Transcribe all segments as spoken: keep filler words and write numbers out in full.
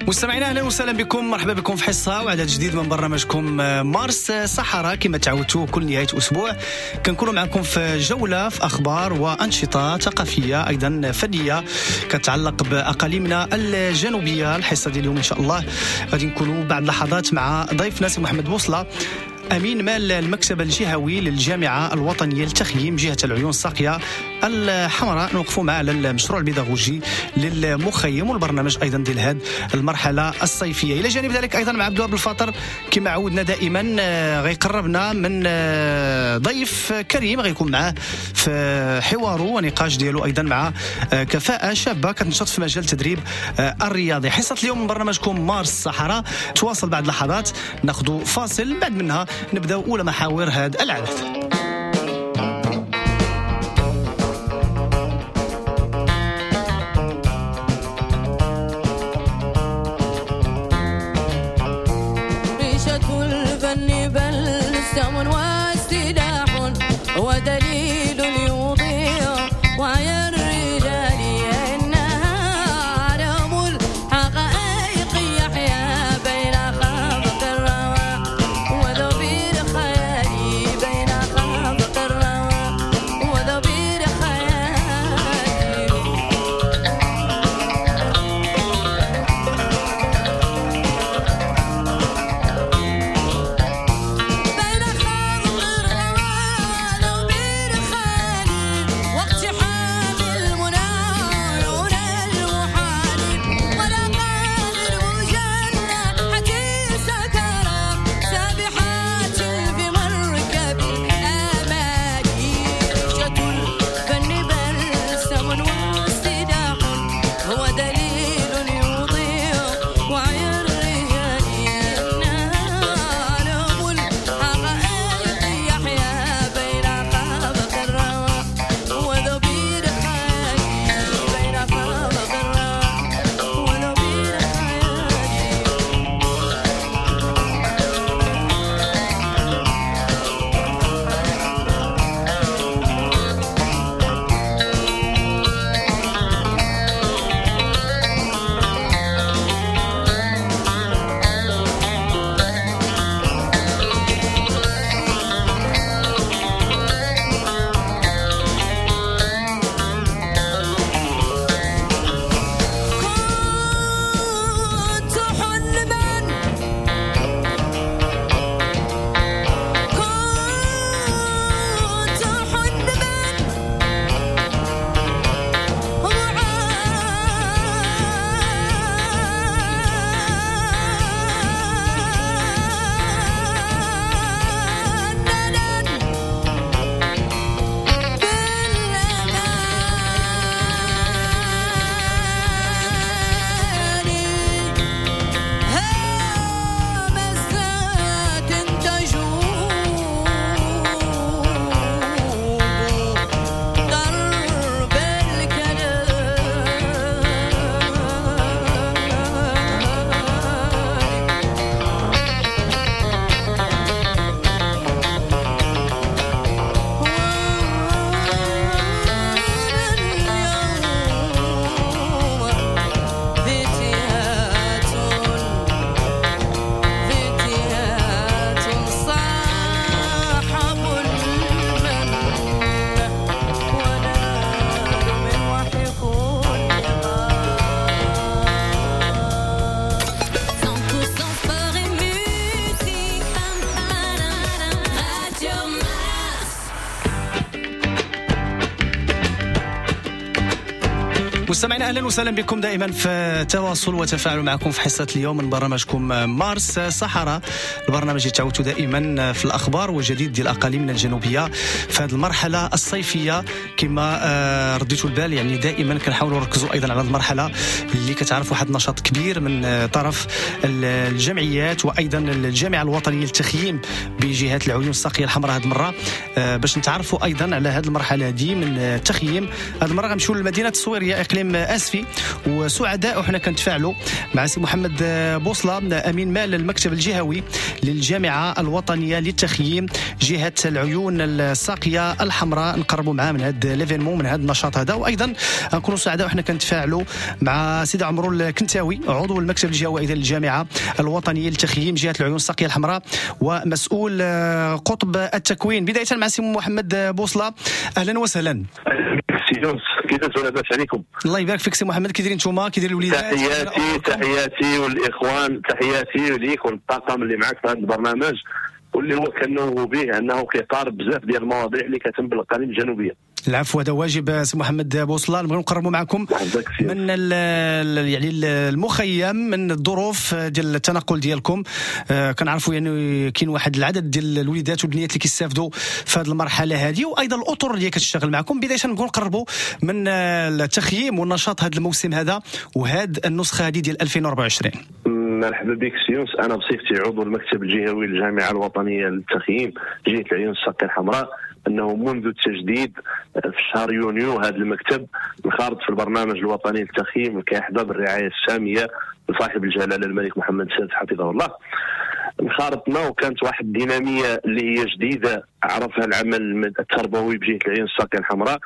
مستمعينا اهلا وسهلا بكم، مرحبا بكم في حصة وعدد جديد من برنامجكم مارس صحراء. كما تعودتوا كل نهاية اسبوع كنكونوا معكم في جولة في اخبار وانشطه ثقافية ايضا فنية كتعلق باقاليمنا الجنوبية. الحصة ديال اليوم ان شاء الله غادي نكونوا بعد لحظات مع ضيفنا سي محمد بوصله، أمين مال المكتب الجهوي للجامعة الوطنية للتخييم جهة العيون الساقية الحمراء. نوقفوا معه على المشروع البيداغوجي للمخيم والبرنامج أيضا ديال هذه المرحلة الصيفية. إلى جانب ذلك أيضا مع عبد الوهاب الفاطر كما عودنا دائما غيقربنا من ضيف كريم غيكون معه في حواره ونقاش ديالو أيضا مع كفاءة شابة كتنشط في مجال التدريب الرياضي. حصة اليوم من برنامجكم مارس الصحراء تواصل بعد لحظات، ناخذ فاصل بعد منها نبدأ أولى محاور هذا العدد. ريشة الفن بلسم واستداح ودليل يضيع وعي الرجال إنها عالم الحقائق يحيا بين خافق الروى وذبير خيالي بين خافق الروى وذبير خيالي. بين خافق الروى وذبير خيالي واقتحام المنى عيون المحال ولقاد المجنة حتي سكرا سابحات في مركب الآمال. ريشة الفن بلسم واستداح هو دليل يضيع وعي الرجال إنها عالم الحقائق يحيا بين خافق الروى وذبير خيالي بين خافق الروى وذبير خيالي. كنت حلما كنت حلما معننا بالأماني همسات تجوب درب الكلام. واليوم فتيات فتيات صاحبوا المن ونالوا من وحي كل غار. cent pour cent sport et musique. Radio Mars. مستمعينا اهلا وسهلا بكم دائما في تواصل وتفاعل معكم في حصة اليوم من برنامجكم مارس صحراء، البرنامج اللي تعودتوا دائما في الاخبار والجديد ديال اقاليمنا الجنوبية في هذه المرحلة الصيفية. كما آه، رديتوا البال يعني دائما كنحاولوا نركزوا ايضا على المرحلة اللي كتعرف واحد النشاط كبير من آه، طرف الجمعيات وايضا الجامعة الوطنية للتخييم بجهة العيون الساقيه الحمراء هذه المرة، آه، باش نتعرفوا ايضا على هذه المرحلة هذه من التخييم. هذه المرة غنمشيو للمدينة الصويرية اقليم باقليم اسفي، وسعداء وحنا كنتفاعلوا مع سي محمد بوصله، امين مال المكتب الجهوي للجامعة الوطنية للتخييم جهة العيون الساقيه الحمراء. نقربوا معاه من هذا l'événement، من هذا النشاط هذا. وايضا نكونوا سعداء وحنا كنتفاعلوا مع سيدي عمرو الكنتاوي، عضو المكتب الجهوي ايضا للجامعة الوطنية للتخييم جهة العيون الساقيه الحمراء ومسؤول قطب التكوين. بداية مع سي محمد بوصله، اهلا وسهلا. سي يونس، كيفاش؟ لاباس عليكم؟ الله يبارك فيك سي محمد، كي دايرين نتوما؟ كي داير الوليدات؟ تحياتي تحياتي والاخوان، تحياتي ليك والطاقم اللي معك في هذا البرنامج، واللي هو كنوه به انه كيقارب بزاف ديال المواضيع اللي كتهم بالاقاليم الجنوبية. العفو، هذا واجب سي محمد بوصله. نبغيو نقربوا معكم من ال يعني المخيم، من الظروف ديال التنقل ديالكم. آه كنعرفوا يعني كاين واحد العدد ديال الوليدات والبنيات اللي كيستافدوا في هذه المرحلة هذه، وايضا الاطر اللي كتشتغل معكم. بداية نبغيو نقربوا من التخييم والنشاط هذا الموسم هذا وهذه النسخة هذه ديال ألفين وأربعة وعشرين. مرحبا بك سي يونس. انا بصفتي عضو المكتب الجهوي للجامعة الوطنية للتخييم جهة العيون الساقيه الحمراء، انه منذ التجديد في شهر يونيو هذا المكتب انخرط في البرنامج الوطني للتخييم كيحظى بالرعايه السامية لصاحب الجلاله الملك محمد السادس حفظه الله. انخرطنا وكانت واحد الديناميه اللي هي جديدة عرفها العمل التربوي بجهة العيون الساقيه الحمراء.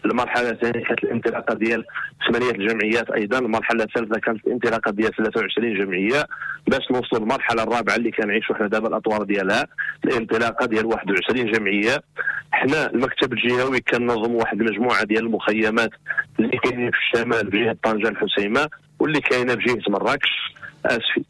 المرحلة الثانية كانت الانطلاقة ديال ثمانية الجمعيات، ايضا المرحلة الثالثة كانت الانطلاقة ديال ثلاثة وعشرين جمعية، باش نوصلوا للمرحلة الرابعة اللي كنعيشوا حنا دابا الاطوار ديالها، الانطلاقة ديال واحد وعشرين جمعية. حنا المكتب الجهوي كنظم واحد المجموعة ديال المخيمات اللي كاينين في الشمال بجهة طنجه الحسيمه، واللي كاينه بجهة مراكش اسفي.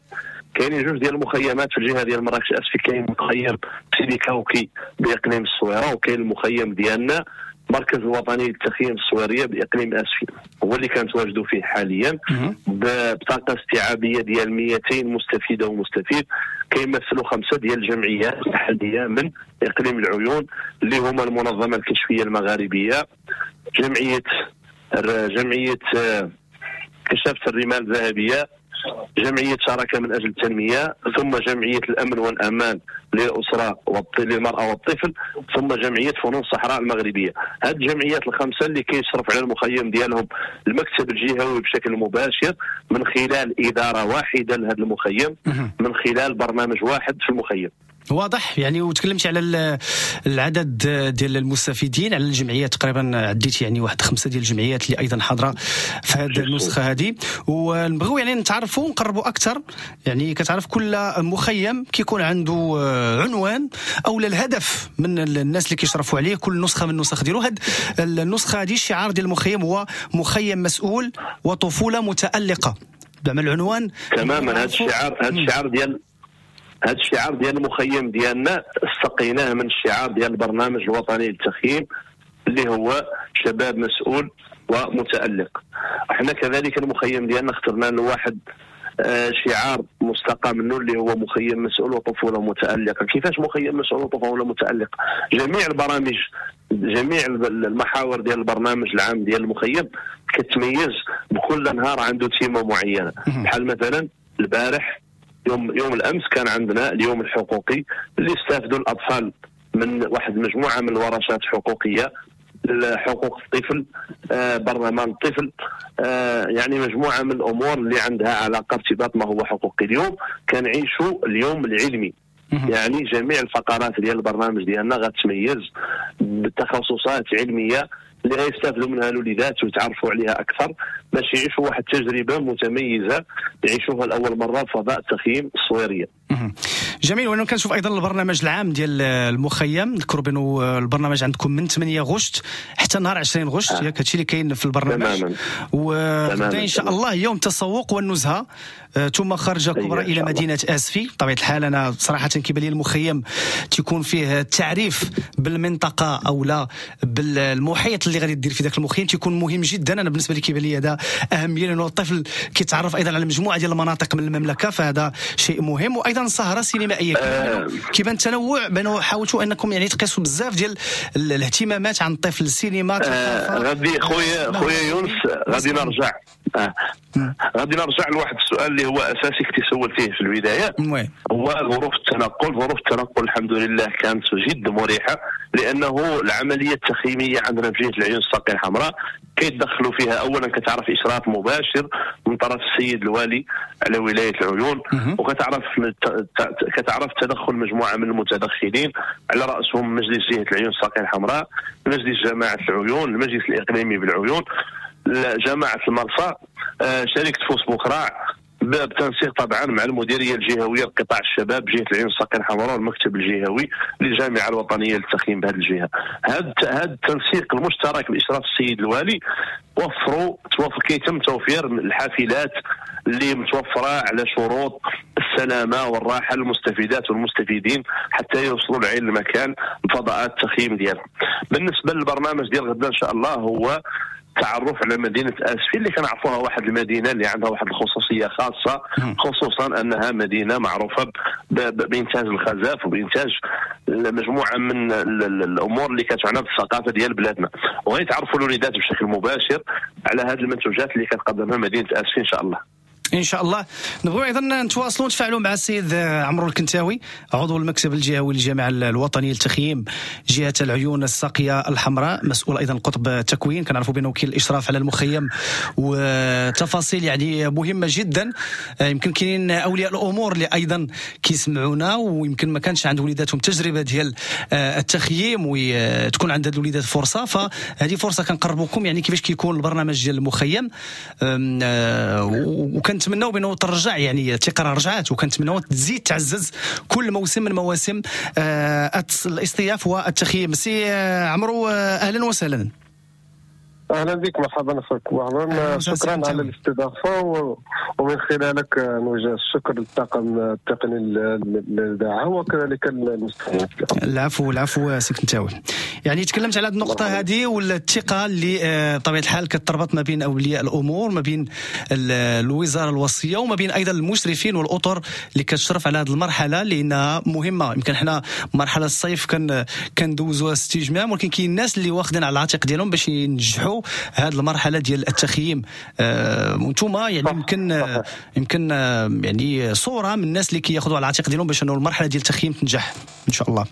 كاينين جوج ديال المخيمات في الجهة ديال مراكش اسفي، كاين مخيم سيدي كاوكي باقليم الصويره، وكاين المخيم ديالنا المركز الوطني للتخييم الصويرية باقليم اسفي، هو اللي كنتواجدوا فيه حاليا بطاقة استيعابيه ديال مئتين مستفيدة ومستفيد، كيمثلوا خمسة ديال الجمعيات المحلية من اقليم العيون، اللي هما المنظمة الكشفيه المغاربية، جمعية جمعية كشافه الرمال الذهبية، جمعية شراكة من اجل التنمية، ثم جمعية الامن والامان للاسرة للمراة والطفل، ثم جمعية فنون الصحراء المغربية. هذه الجمعيات الخمسة اللي كيشرف على المخيم ديالهم المكتب الجهوي بشكل مباشر من خلال ادارة واحدة لهذا المخيم، من خلال برنامج واحد في المخيم. واضح يعني. وتكلمت على العدد ديال المستفيدين على الجمعيات، تقريبا عديت يعني واحد خمسة ديال الجمعيات اللي ايضا حاضره في هذه النسخة هذه. ونبغيو يعني نتعرفوا ونقربوا اكثر، يعني كتعرف كل مخيم كيكون عنده عنوان او الهدف من الناس اللي كيشرفوا عليه، كل نسخه من النسخ ديالو. هذه النسخة هذه الشعار ديال المخيم هو مخيم مسؤول وطفوله متالقه، زعما العنوان تماما. هذا الشعار، هذا الشعار ديال هذا الشعار ديال المخيم ديالنا استقيناه من الشعار ديال البرنامج الوطني للتخييم اللي هو شباب مسؤول ومتألق. احنا كذلك المخيم ديالنا اخترنا له واحد شعار مستقى منه اللي هو مخيم مسؤول وطفوله متألقه. كيفاش مخيم مسؤول وطفوله متألقه؟ جميع البرامج، جميع المحاور ديال البرنامج العام ديال المخيم كتميز بكل نهار عنده تيمة معينة. بحال مثلا البارح يوم يوم الامس كان عندنا اليوم الحقوقي اللي استافدوا الاطفال من واحد المجموعة من الورشات الحقوقية، حقوق الطفل، آه، برلمان الطفل، آه، يعني مجموعة من الامور اللي عندها علاقة ارتباط ما هو حقوقي. اليوم كنعيشوا اليوم العلمي، يعني جميع الفقرات ديال البرنامج ديالنا غتميز بتخصصات علمية اللي غيستافدوا منها الوليدات ويتعرفوا عليها اكثر باش يعيشوا واحد التجربة متميزة يعيشوها لاول مرة في فضاء التخييم الصويرية. جميل. وانا كنشوف ايضا البرنامج العام ديال المخيم، نذكروا بانه البرنامج عندكم من ثمانية غشت حتى نهار عشرين غشت، ياك آه. هادشي اللي كاين في البرنامج. وغدا ان شاء الله يوم التسوق والنزهه، ثم خرجه كبرى الى مدينة اسفي. بطبيعة الحال انا صراحة كيبان لي المخيم تيكون فيه التعريف بالمنطقة او لا بالمحيط اللي غادي دير في ذاك المخيم تيكون مهم جدا. انا بالنسبة لي كيبان لي هذا عندها اهمية لانه الطفل كيتعرف ايضا على مجموعة ديال المناطق من المملكة، فهذا شيء مهم. وايضا سهره سينمائية. آه كيبان التنوع بانه حاولتوا انكم يعني تقيسوا بزاف ديال الاهتمامات عن الطفل، السينما. آه غادي خويا خويا يونس غادي نرجع آه. غادي نرجع لواحد السؤال اللي هو اساسي كنت سولتيه في البداية، هو ظروف التنقل. ظروف التنقل الحمد لله كانت جد مريحه، لانه العملية التخييميه عندنا في جهة العيون الساقيه الحمراء كيتدخلوا فيها اولا كتعرف اشراف مباشر من طرف السيد الوالي على ولاية العيون، وكتعرف كتعرف تدخل مجموعة من المتدخلين على راسهم مجلس جهة العيون الساقيه الحمراء، مجلس جماعة العيون، المجلس الاقليمي بالعيون، جماعة المرسى، شركة فوس بوكراع، بتنسيق طبعا مع المديرية الجهوية لقطاع الشباب جهة العيون الساقيه الحمراء والمكتب الجهوي للجامعة الوطنية للتخييم بهذه الجهة. هذا هذا التنسيق المشترك باشراف السيد الوالي وفروا توفر كيتم توفير الحافلات اللي متوفرة على شروط السلامة والراحة للمستفيدات والمستفيدين حتى يوصلوا لعين المكان بفضاءات التخييم ديالهم. بالنسبة للبرنامج ديال غدا ان شاء الله هو تعرف على مدينة آسفي اللي كنعرفوها واحد المدينة اللي عندها واحد الخصوصية خاصة، خصوصا أنها مدينة معروفة بإنتاج الخزف وبإنتاج مجموعة من الأمور اللي كتعنى بالثقافة ديال بلادنا، وغيتعرفوا الوليدات بشكل مباشر على هذه المنتوجات اللي كتقدمها مدينة آسفي إن شاء الله. ان شاء الله. نبغيو ايضا نتواصلوا ونتفاعلوا مع السيد عمرو الكنتاوي عضو المكتب الجهوي للجامعة الوطنية للتخييم جهة العيون الساقيه الحمراء، مسؤول ايضا قطب التكوين، كنعرفوا بانه وكيل الاشراف على المخيم وتفاصيل يعني مهمة جدا. يمكن كاينين اولياء الامور اللي ايضا كيسمعونا ويمكن ما كانش عند وليداتهم تجربه ديال التخييم وتكون عند هاد الوليدات فرصة، فهذه فرصة كنقربوكم يعني كيفاش كيكون البرنامج ديال المخيم، وكان كنتمناو بانه ترجع يعني الثقة رجعات، وكنتمناو تزيد تعزز كل موسم من مواسم آه الاصطياف والتخييم. سي عمرو اهلا وسهلا. اهلا بك، مرحبا اخوك، مرحبا، شكرا على الاستضافة، ومن خلالك نوجه الشكر للطاقم التقني للاذاعة وكذلك المستمعين. العفو العفو سي كنتاوي. يعني تكلمت على هذه النقطة هذه والثقة اللي بطبيعة الحال كتربط ما بين اولياء الامور، ما بين الوزارة الوصية، وما بين ايضا المشرفين والاطر اللي كتشرف على هذه المرحلة لانها مهمة. يمكن حنا مرحلة الصيف كان كندوزوها استجمام، ولكن كاين الناس اللي واخدين على العاتق ديالهم باش ينجحوا هذه المرحلة ديال التخييم. آه وانتم يعني يمكن آه يمكن آه يعني صوره من الناس اللي كياخذوا على العاتق ديالهم باش انه المرحلة ديال التخييم تنجح ان شاء الله.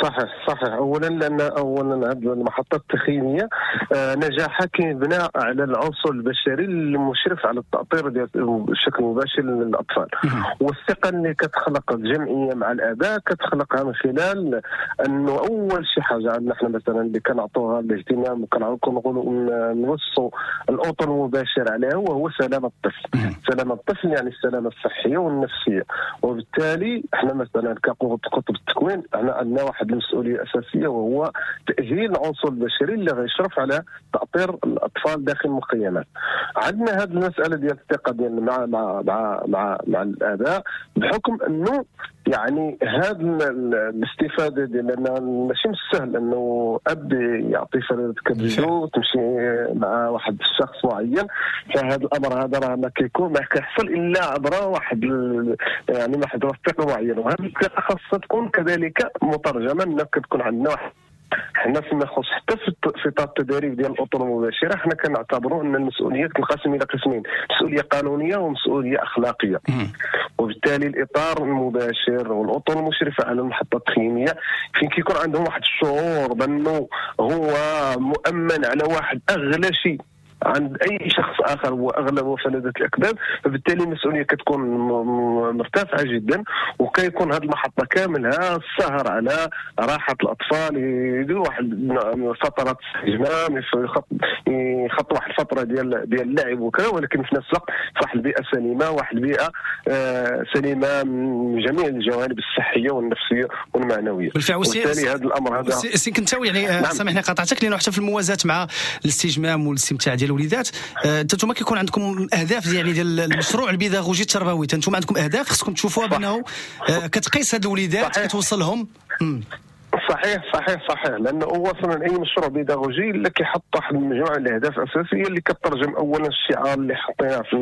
صحيح صحيح. اولا لان اولا هذه المحطات التخييميه نجاحها كيبنى على العنصر البشري المشرف على التاطير ديال بشكل مباشر للاطفال، والثقة اللي كتخلق الجمعية مع الاباء كتخلقها من خلال انه اول شي حاجة عندنا احنا مثلا اللي كنعطوها الاهتمام وكنقولوا نوصوا الاطر المباشر عليها وهو سلامه الطفل. سلامه الطفل يعني السلامة الصحية والنفسية، وبالتالي احنا مثلا كقطب التكوين احنا عندنا واحد المسؤولية اساسية وهو تاهيل العنصر البشري اللي غيشرف على تاطير الاطفال داخل المخيمات. عندنا هذه المسالة ديال الثقة ديال مع مع مع مع, مع الاباء بحكم انه يعني هذا الاستفادة ديال لان ماشي من السهل انه اب يعطي فريدة كبدو تمشي مع واحد الشخص معين، فهذا الامر هذا راه ما كيكون ما كيحصل الا عبر واحد يعني واحد الثقة معينة، وهذه الثقة خاصها تكون كذلك مترجمة ان كتكون عندنا واحد حنا فيما يخص حتى في اطار التدريب ديال الاطر المباشرة حنا كنعتبروا ان المسؤولية تنقسم الى قسمين، مسؤولية قانونية ومسؤولية اخلاقية. وبالتالي الاطار المباشر والاطر المشرفة على المحطة التخييميه فين كيكون عندهم واحد الشعور بانه هو مؤمن على واحد اغلى شيء عند اي شخص اخر هو اغلى وفلذة الاكباد، فبالتالي المسؤولية كتكون مرتفعة جدا، وكيكون هذه المحطة كاملها السهر على راحة الاطفال، يديروا واحد فترات استجمام، يخطوا واحد الفترة ديال ديال اللعب وكذا، ولكن في نفس الوقت في واحد البيئة سليمة، واحد البيئة سليمة من جميع الجوانب الصحية والنفسية والمعنوية. وبالتالي هذا الامر هذا سي كنتاوي يعني نعم. سامحني قاطعتك، لانه حتى في الموازاه مع الاستجمام والاستمتاع ديال الوليدات انتم كيكون عندكم اهداف يعني ديال المشروع البيداغوجي التربوي، انتم عندكم اهداف خصكم تشوفوها بانه كتقيس هاد الوليدات كتوصلهم. صحيح صحيح صحيح، لانه هو اصلا اي مشروع بيداغوجي اللي كيحط واحد المجموعة من الاهداف الاساسية اللي كترجم اولا الشعار اللي حطيناه في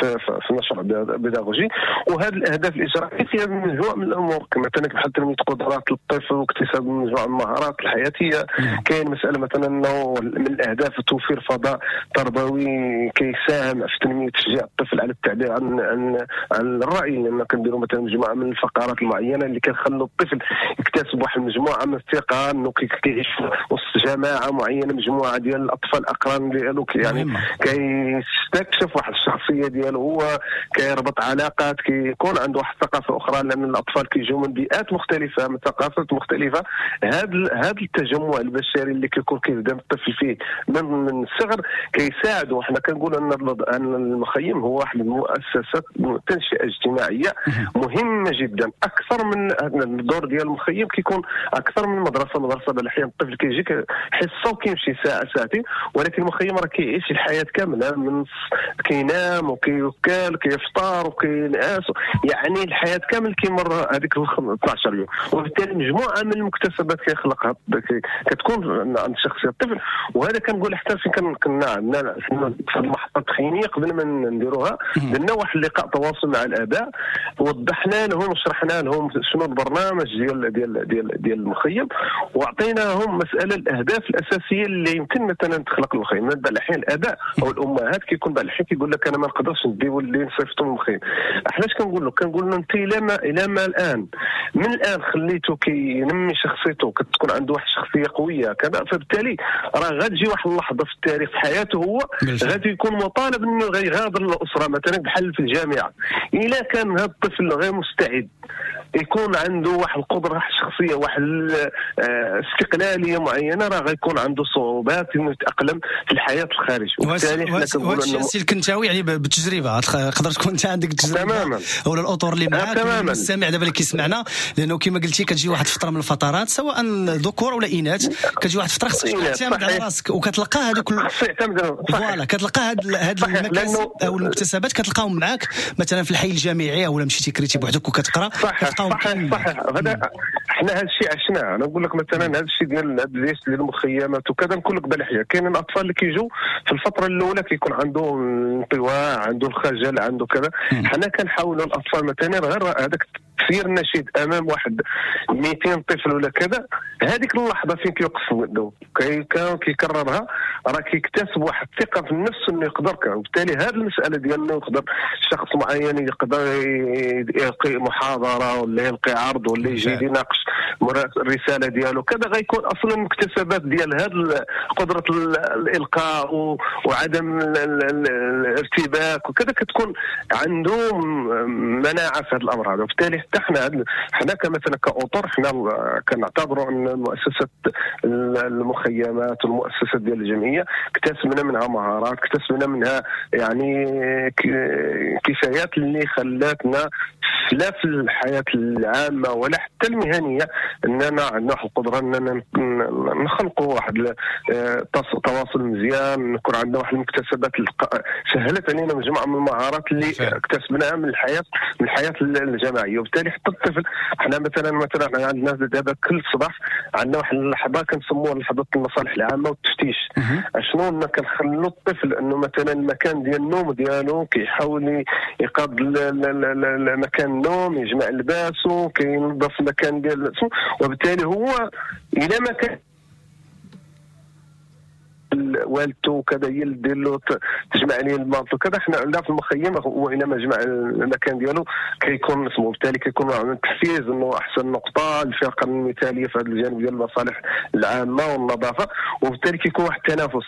في, في المشروع البيداغوجي، وهذه الاهداف الاجرائيه فيها مجموعة من الامور مثلا بحال تنمية قدرات الطفل واكتساب مجموعة من المهارات الحياتية. كاين مسالة مثلا انه من الاهداف توفير فضاء تربوي كيساهم في تنمية تشجيع الطفل على التعبير عن عن عن الراي، لان كنديروا مثلا مجموعة من الفقرات المعينة اللي كنخلوا الطفل يكتسب واحد المجموعة من الثقة انه كيعيش وسط جماعة معينة، مجموعة ديال الاطفال اقران ديالو، يعني كيستكشف واحد الشخصية ديالو، هو كيربط علاقات، كيكون عنده واحد الثقافة اخرى، لان الاطفال كيجيو من بيئات مختلفة، من ثقافات مختلفة. هذا هذا التجمع البشري اللي كيكون كيبدا الطفل فيه من من الصغر كيساعده. حنا كنقولوا ان ان المخيم هو واحد المؤسسة تنشئه اجتماعية مهمة جدا، اكثر من الدور ديال المخيم كيكون اكثر من المدرسة. المدرسة بالاحيان الطفل كيجي حصة وكيمشي ساعة ساعتين، ولكن المخيم راه كيعيش الحياة كاملة، من كينام وكيوكل كيفطر وكينعس، يعني الحياة كامل كيمر هذيك اثنا عشر يوم. وبالتالي مجموعة من المكتسبات كيخلقها كتكون عند شخصية الطفل. وهذا كنقول حتى فين كنا عندنا في المحطة التخييميه قبل ما نديروها درنا واحد اللقاء تواصل مع الاباء، وضحنا لهم وشرحنا لهم شنو البرنامج ديال ديال ديال ديال المخيم، واعطيناهم مسالة الاهداف الاساسية اللي يمكن مثلا تخلق المخيم. بعض الاحيان الاباء او الامهات كيكون بعض الاحيان كيقول لك انا ما نقدرش ندي ولدي نصيفطو للمخيم. احنا اش كنقول له؟ كنقول له انت الى ما الى ما الان من الان خليته كينمي شخصيته، كتكون عنده واحد الشخصية قوية كذا، فبالتالي راه غتجي واحد اللحظة في التاريخ في حياته هو غادي يكون مطالب انه غيغادر الاسرة مثلا بحال في الجامعة. الا كان هذا الطفل غير مستعد يكون عنده واحد القدرة واحد الشخصية واحد الاستقلالية معينة، راه غيكون عنده صعوبات انه يتاقلم في الحياة الخارج. وبالتالي حنا كنقولوا انه السي الكنتاوي يعني بالتجربة، تقدر تكون انت عندك تجربه تماما ولا الاطر اللي معاك المستمع دابا اللي كيسمعنا، لانه كما قلتي كتجي واحد الفترة من الفترات سواء ذكور ولا اناث، كتجي واحد الفترة خصك تعتمد على راسك، وكتلقى هذوك voilà كتلقى هاد هاد المكاسب او المكتسبات كتلقاهم معاك مثلا في الحي الجامعي او مشيتي كريتي بوحدك وكتقرا. صحيح صحيح صحيح، هذا حنا هذا الشيء عشناه. انا نقول لك مثلا هذا الشيء ديال ديال المخيمات وكذا، نقول لك بالحياة كاين الاطفال اللي كيجوا في الفترة الاولى كيكون عنده انطواء، عنده الخجل، عنده كذا. حنا كنحاولوا الاطفال مثلا غير هذاك التسيير النشيد امام واحد مئتين طفل ولا كذا، هذيك اللحظة فين كيوقف ولده كيكررها راه كيكتسب واحد الثقة في النفس انه يقدر. وبالتالي هذه المسالة ديال انه يقدر شخص معين يقدر يلقي محاضرة ولا يلقي عرض ولا يجي يناقش الرسالة ديالو كذا، غيكون اصلا المكتسبات ديال هذا قدره الالقاء وعدم الارتباك وكذا كتكون عنده مناعة في هذا الامر هذا. وبالتالي حتى حنا حنا كمثلا كاطر حنا كنعتبروا ان مؤسسة المخيمات والمؤسسات ديال الجمعية اكتسبنا منها مهارات، اكتسبنا منها يعني كفايات اللي خلاتنا لا في الحياة العامة ولا حتى المهنية اننا عندنا واحد القدرة اننا نخلقوا واحد التواصل مزيان، نكون عندنا واحد المكتسبات سهلت علينا مجموعة من المهارات اللي اكتسبناها من الحياة من الحياة الجماعية. وبالتالي حتى الطفل حنا مثلا مثلا عندنا دابا كل صباح عندنا واحد اللحظة كنسموها لحظة المصالح العامة والتفتيش. شنو كنخلوا الطفل انه مثلا المكان ديال النوم ديالو كيحاول يقاد مكان النوم، يجمع لباسه، كينظف المكان ديال، وبالتالي هو الى ما كان والدته وكذا هي اللي دير له تجمع عليه الماط وكذا. حنا عندنا في المخيم هو الى ما جمع المكان ديالو كيكون اسمه، وبالتالي كيكون تحفيز انه احسن نقطة الفرقة المثالية في هذا الجانب ديال المصالح العامة والنظافة، وبالتالي كيكون واحد التنافس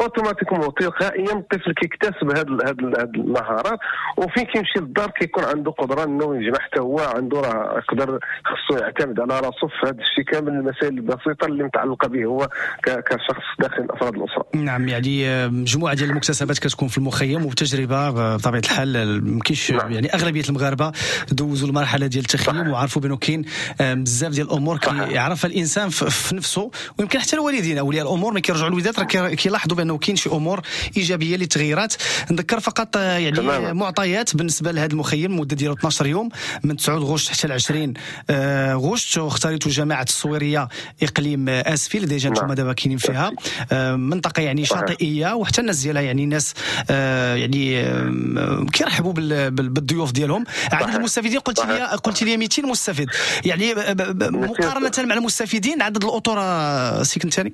automatiquement تلقائيا الطفل كيكتسب هاد هاد هاد المهارات، وفين كيمشي للدار كيكون عنده قدره انه يجمع حتى هو عنده راه يقدر خصو يعتمد على راسه في هذا الشيء كامل، المسائل البسيطة اللي متعلقه به هو كشخص داخل افراد الاسرة. نعم، يعني مجموعة ديال المكتسبات كتكون في المخيم وبتجربه بطبيعة الحال ما كاينش. نعم. يعني اغلبية المغاربة دوزوا المرحلة ديال التخييم وعرفوا بانه كاين بزاف ديال الامور كيعرفها الانسان في نفسه، ويمكن حتى الوالدين اولياء الامور ملي كيرجعوا الوليدات راه كيلاحظوا بانه بانه كاين شي امور ايجابية اللي تغيرات. نذكر فقط يعني تمام. معطيات بالنسبة لهذا المخيم، المدة ديالو اثنا عشر يوم من تسعة غشت حتى عشرين غشت، واختاريتوا جماعة الصويريه اقليم اسفي اللي déjà انتم نعم. دابا كاينين فيها، منطقة يعني شاطئيه، وحتى الناس ديالها يعني ناس يعني كيرحبوا بالضيوف ديالهم. عدد المستفيدين قلت لي قلت لي مئتين مستفيد، يعني مقارنة مع المستفيدين عدد الاطر سي كنتاني؟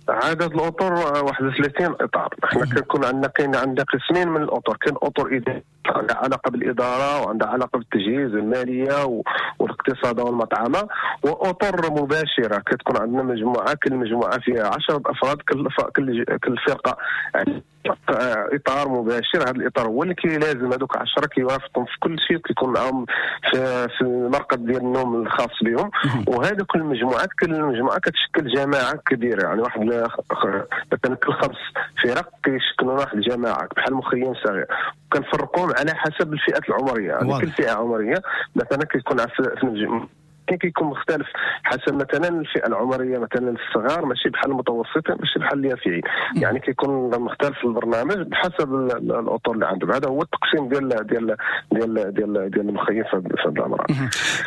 عدد الاطر واحد وثلاثين اطار. احنا كنكون عندنا كاين عندنا قسمين من الاطر، كاين اطر ادارية عندها علاقة بالادارة وعندها علاقة بالتجهيز والمالية والاقتصاد والمطعمه، واطر مباشرة كتكون عندنا مجموعه، كل مجموعة فيها عشرة افراد، كل كل كل فرقه يعني اطار مباشر. هذا الاطار هو اللي كيلازم هذوك عشرة، كيوافقهم في كل شيء، كيكون معاهم في, في المرقد ديال النوم الخاص بهم. وهذوك المجموعات كل مجموعة كتشكل جماعة كبيره، يعني واحد مثلا كل خمس فرق كيشكلوا واحد الجماعة بحال مخيم صغير. كنفرقوهم على حسب الفئات العمريه، يعني كل فئة عمرية مثلا كيكون في كيكون مختلف حسب مثلا الفئة العمريه، مثلا الصغار ماشي بحال المتوسطين، ماشي بحال اليافعين، يعني كيكون مختلف البرنامج بحسب الاطر اللي عندهم. هذا هو التقسيم ديال ديال ديال ديال ديال المخيم في هذا الامر.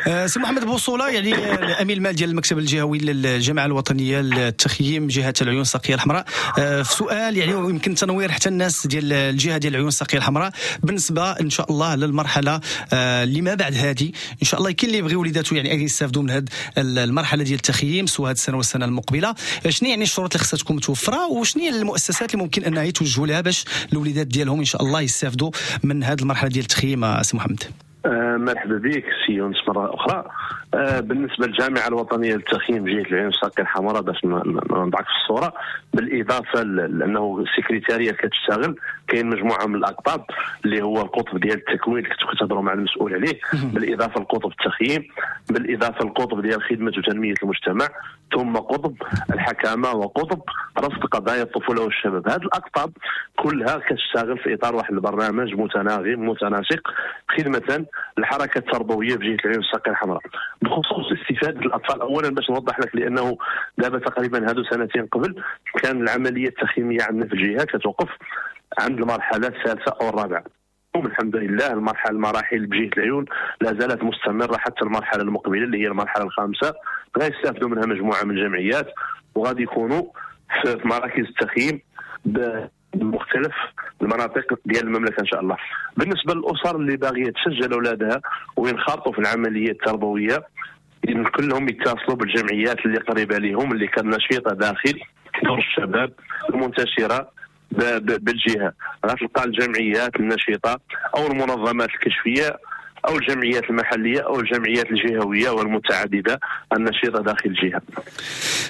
أه، سي محمد بوصوله، يعني الامين المال ديال المكتب الجهوي للجامعة الوطنية للتخييم جهة العيون الساقيه الحمراء، أه، في سؤال يعني يمكن تنوير حتى الناس ديال الجهة ديال العيون الساقيه الحمراء بالنسبة ان شاء الله للمرحلة أه، اللي ما بعد هذه، ان شاء الله كاين اللي يبغي وليداتو يعني يستافدوا من هذه المرحلة ديال التخييم سواء هذه السنة والسنة المقبله، شنو يعني الشروط اللي خصها تكون متوفرة، وشنو هي المؤسسات اللي ممكن انها يتوجهوا لها باش الوليدات ديالهم ان شاء الله يستافدوا من هذه المرحلة ديال التخييم سي محمد؟ آه مرحبا بك سي يونس مرة اخرى. آه بالنسبة للجامعة الوطنية للتخييم جهة العيون الساقيه الحمراء، باش نضعك في الصوره، بالاضافة لانه السكرتاريه كتشتغل، كاين مجموعة من الاقطاب اللي هو القطب ديال التكوين اللي كنتو كتهضروا مع المسؤول عليه، بالاضافة لقطب التخييم، بالاضافة للقطب ديال خدمة وتنميه المجتمع، ثم قطب الحكامه وقطب رصد قضايا الطفولة والشباب. هذه الاقطاب كلها كتشتغل في اطار واحد البرنامج متناغم متناسق خدمة الحركة التربوية بجهة العيون الساقيه الحمراء. بخصوص استفاده الاطفال، اولا باش نوضح لك، لانه دابا تقريبا هادو سنتين قبل كان العملية التخييميه عندنا في الجهة كتوقف عند المرحلة الثالثة او الرابعة. الحمد لله المرحلة المراحل بجهة العيون لا زالت مستمرة حتى المرحلة المقبلة اللي هي المرحلة الخامسه، غيستافدوا منها مجموعة من الجمعيات وغادي يكونوا في مراكز التخييم بمختلف المناطق ديال المملكة ان شاء الله. بالنسبة للاسر اللي باغية تسجل اولادها وينخرطوا في العملية التربوية، كلهم يتصلوا بالجمعيات اللي قريبه لهم اللي كان نشيطه داخل دور الشباب المنتشرة بالجهة. غتلقى الجمعيات النشيطه او المنظمات الكشفيه او الجمعيات المحلية او الجمعيات الجهوية والمتعدده النشيطه داخل الجهة.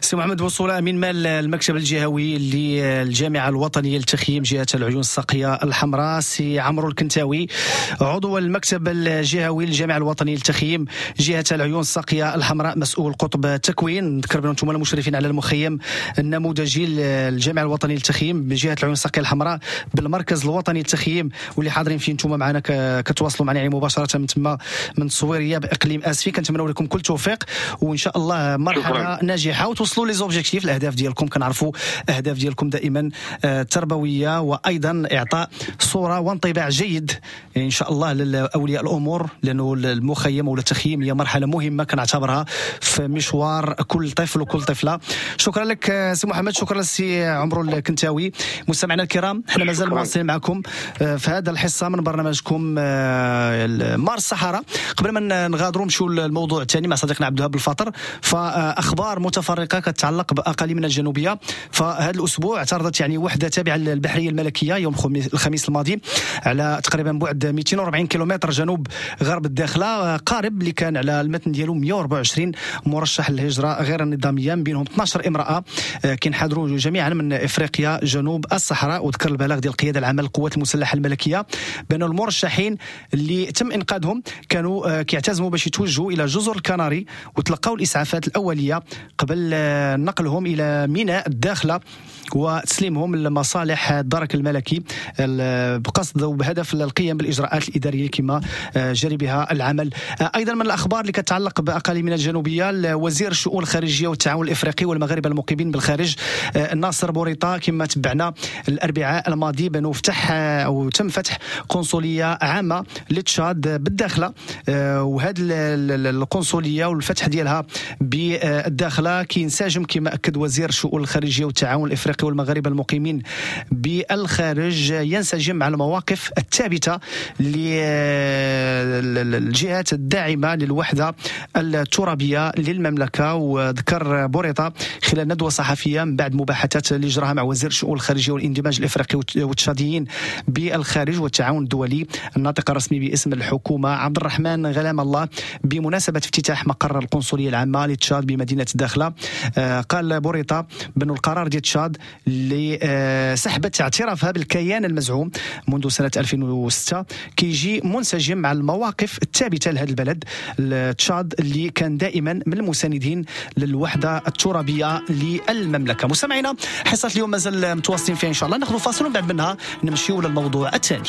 سي محمد بوصوله، امين مال المكتب الجهوي للجامعة الوطنية للتخييم جهة العيون الساقيه الحمراء، سي عمرو الكنتاوي عضو المكتب الجهوي للجامعة الوطنية للتخييم جهة العيون الساقيه الحمراء، مسؤول قطب التكوين. نذكر بان انتم المشرفين على المخيم النموذجي للجامعة الوطنية للتخييم بجهة العيون الساقيه الحمراء بالمركز الوطني للتخييم، واللي حاضرين فيه انتم معنا كتواصلوا معنا يعني مباشرة من تما من الصويرية باقليم اسفي. كنتمنوا لكم كل توفيق وان شاء الله مرحلة شكرا. ناجحة وتوصلوا les objectifs، الاهداف ديالكم. كنعرفوا اهداف ديالكم دائما آه، تربوية وايضا اعطاء صوره وانطباع جيد ان شاء الله لاولياء الامور، لانه المخيم ولا التخييم هي مرحلة مهمة كنعتبرها في مشوار كل طفل وكل طفله. شكرا لك آه، سي محمد، شكرا للسي عمرو الكنتاوي. مستمعينا الكرام، احنا مازال مواصلين معكم آه، في هذا الحصة من برنامجكم مارس الصحراء. قبل ما نغادروا نمشيو للموضوع الثاني مع صديقنا عبد الوهاب الفاطر، فاخبار متفرقة كتعلق باقاليمنا الجنوبية. فهذا الاسبوع اعترضت يعني وحده تابعه للبحريه الملكية يوم الخميس الماضي على تقريبا بعد مئتين وأربعين كيلومتر جنوب غرب الداخلة قارب اللي كان على المتن ديالو مئة وأربعة وعشرين مرشح للهجرة غير النظاميه، من بينهم اثنا عشر امراة كينحدروا جميعا من افريقيا جنوب الصحراء. وذكر البلاغ ديال القيادة العامة للقوات المسلحة الملكية بان المرشحين اللي تم انقاذهم كانوا كيعتزموا باش يتوجهوا الى جزر الكناري وتلقاو الاسعافات الاولية قبل نقلهم الى ميناء الداخلة. وتسليمهم لمصالح الدرك الملكي بقصد وبهدف القيام بالاجراءات الادارية كما جري بها العمل. ايضا من الاخبار اللي كتعلق باقاليمنا الجنوبية، وزير الشؤون الخارجية والتعاون الافريقي والمغاربة المقيمين بالخارج ناصر بوريطه كما تبعنا الاربعاء الماضي بانه فتح او تم فتح قنصليه عامة لتشاد بالداخله، وهذه القنصليه والفتح ديالها بالداخله كينسجم كما اكد وزير الشؤون الخارجية والتعاون الافريقي والمغاربة المقيمين بالخارج، ينسجم مع المواقف الثابتة للجهات الداعمة للوحدة الترابيه للمملكة. وذكر بوريطه خلال ندوه صحفية من بعد مباحثات اللي جراها مع وزير الشؤون الخارجية والاندماج الافريقي والتشاديين بالخارج والتعاون الدولي الناطق الرسمي باسم الحكومة عبد الرحمن غلام الله بمناسبة افتتاح مقر القنصليه العامة لتشاد بمدينة الداخلة، قال بوريطه بأن القرار ديال تشاد اللي سحبت اعترافها بالكيان المزعوم منذ سنة ألفين وستة كيجي منسجم مع المواقف الثابتة لهذا البلد تشاد اللي كان دائما من المساندين للوحدة الترابيه للمملكة. مستمعينا حصة اليوم مازال متواصلين فيها ان شاء الله، ناخذ فاصل ومن بعد منها نمشيو للموضوع الثاني.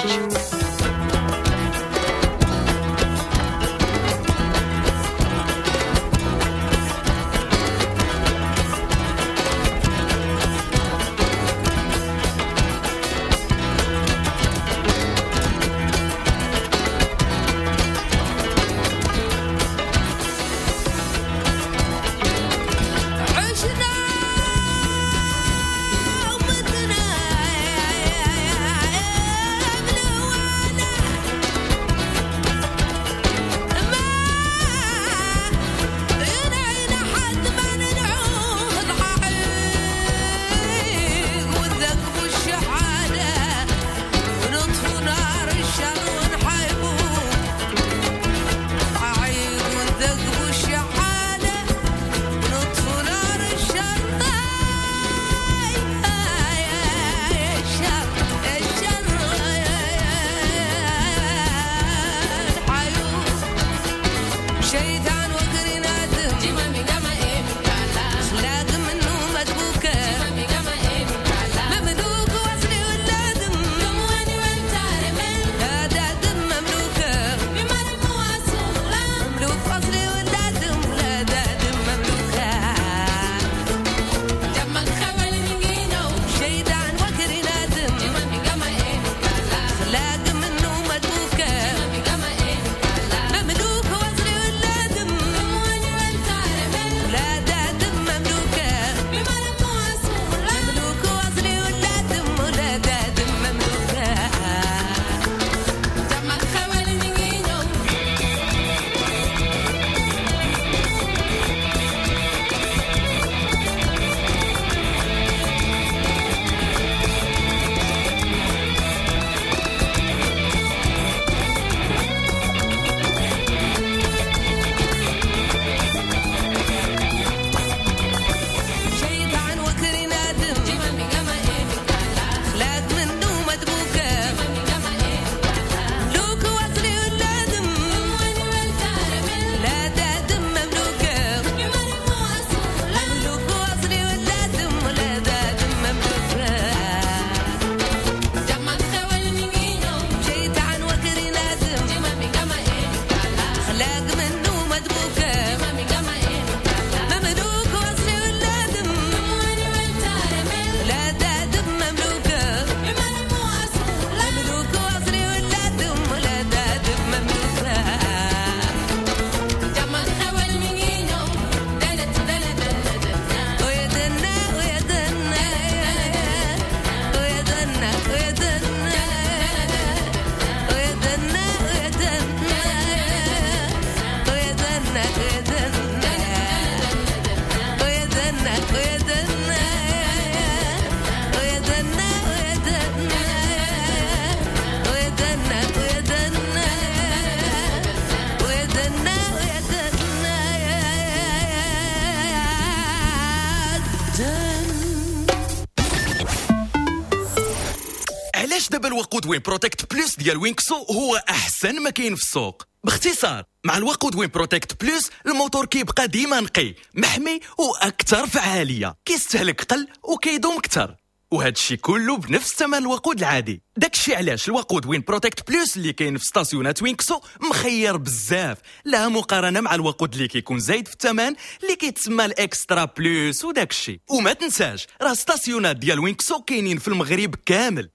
علاش دابا الوقود وين بروتكت بلوس ديال وينكسو هو احسن ما كاين في السوق؟ باختصار مع الوقود وين بروتكت بلوس الموتور كيبقى ديما نقي محمي واكثر فعالية، كيستهلك قل وكيدوم اكثر. وهذا الشيء كله بنفس ثمن الوقود العادي. داكشي علاش الوقود Win Protect Plus اللي كاين في ستاسيونات Winxo مخير بزاف، لا مقارنة مع الوقود اللي كيكون زايد في الثمن اللي كيتسمى ال Extra Plus وداكشي. وما تنساش راه ستاسيونات ديال Winxo كاينين في المغرب كامل.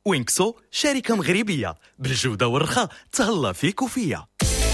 Winxo شركة مغربية بالجودة والرخاء، تهلا فيك وفيا.